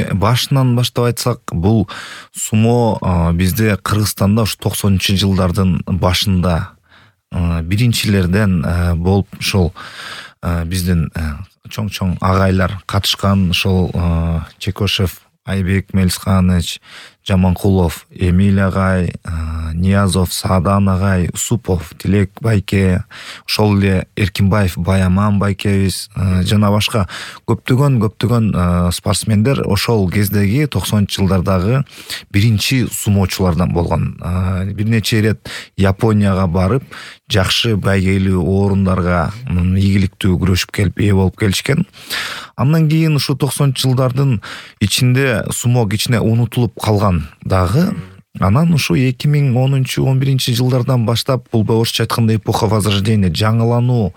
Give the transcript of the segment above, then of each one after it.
Эми башынан баштап айтсак, бул сумо бизде Кыргызстанда ушу 90-жылдардын башында биринчилерден болуп ушул биздин чоң агайлар катышкан. Ошол Чекошев, Айбек Мелисханович, Жаманкулов, Эмиль агай, Ниязов, Саадан агай, Усупов, Тилек байке, ошол эле Эркинбаев, Баяман байкебиз жана башка көптөгөн спортсмендер ошол кездеги 90-жылдардагы биринчи сумоочулардан болгон. Бир нече ирет Японияга барып, жакшы байгелүү орундарга ийгиликтүү күрөшүп келип, ээ болуп келишкен. Андан кийин ушу 90-жылдардын ичинде сумо кичине унутулуп калган дагы. Анан ушу 2010-11 жылдардан баштап бул орусча айтканда эпоха возрождения, жаңылануу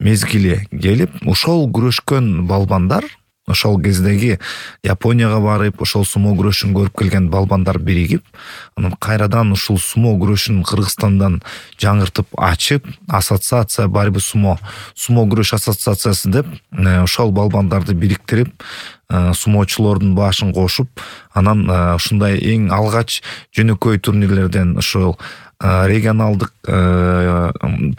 мезгили келип, ошол күрөшкөн балбандар, ошол кездеги Японияга барып, ошол сумо күрөшүн көрүп келген балбандар биригип, анан кайрадан ушул сумо күрөшүн Кыргызстандан жаңыртып ачып, ассоциация борьбы сумо күрөш ассоциациясы деп, ошол балбандарды бириктирип, сумоочулордун башын кошуп, анан ушундай эң алгач жөнөкөй турнирлерден, ошол регионалдык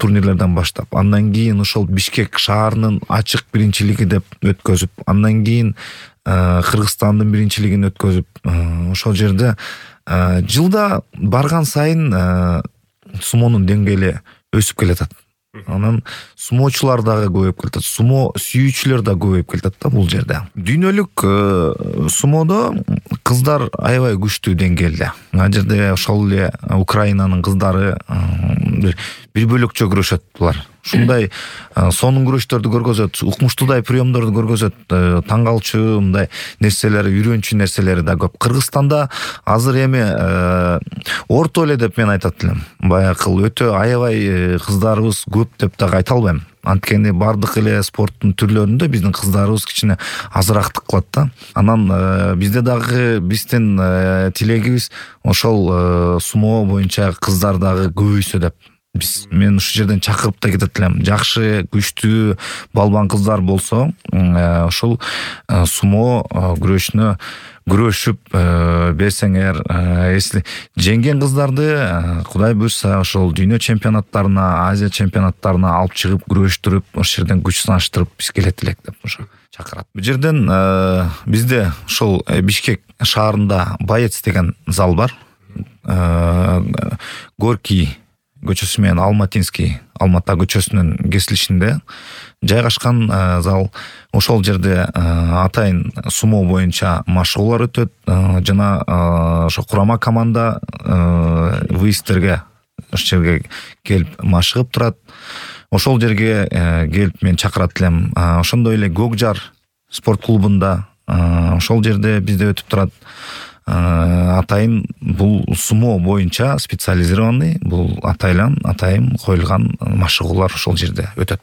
турнирлерден баштап, андан кийин ошол Бишкек шаарынын ачык биринчилиги деп өткөзүп, андан кийин Кыргызстандын биринчилигин өткөзүп, ошол жерде жылда барган сайын сумонун деңгээли өсүп келатат. Анан сумоочулар дагы көбөйүп келатат, сумо сүйүүчүлөр да көбөйүп келатат да бул жерде. Дүйнөлүк сумодо кыздар аябай күчтүү деңгээлде. Ал жерде ошол эле Украинанын кыздары бир бөлөкчө күрөшөт булар. Ушундай сонун күрөштөрдү көргөзөт, укмуштуудай приемдорду көргөзөт, таң калчу мындай нерселери, үйрөнчү нерселери да көп. Кыргызстанда азыр эми орто эле деп мен айтат элем. Баягы өтө аябай кыздарыбыз көп деп дагы айта албайм. Анткени бардык эле спорттун түрлөрүндө биздин кыздарыбыз кичине азыраак кылат да. Анан бизде дагы биздин тилегибиз ошол сумо боюнча кыздар дагы көбөйсө деп. Мен ушу жерден чакырып да кетет элем. Жакшы, күчтүү балбан кыздар болсо, ошол сумо күрөшүнө күрөшүп берсеңер, жеңген кыздарды Кудай буйрса ошол дүйнө чемпионаттарына, Азия чемпионаттарына алып чыгып күрөштүрүп, ошол жерден күч сынаштырып биз келет элек деп ошо чакырат. Бул жерден бизде ошол Бишкек шаарында Боец деген зал бар. Горький көчөсү менен Алматинский, Алмата көчөсүнүн кесилишинде жайгашкан зал. Ошол жерде атайын сумо боюнча машыгуулар өтөт, жана ошо курама команда выездтерге ошол жерге келип машыгып турат. Ошол жерге келип мен чакырат элем. Ошондой эле Көкжар спорт клубунда ошол жерде бизде өтүп турат. Атайын бул сумо боюнча специализированный, бул атайым коюлган машыгуулар ошол жерде өтөт.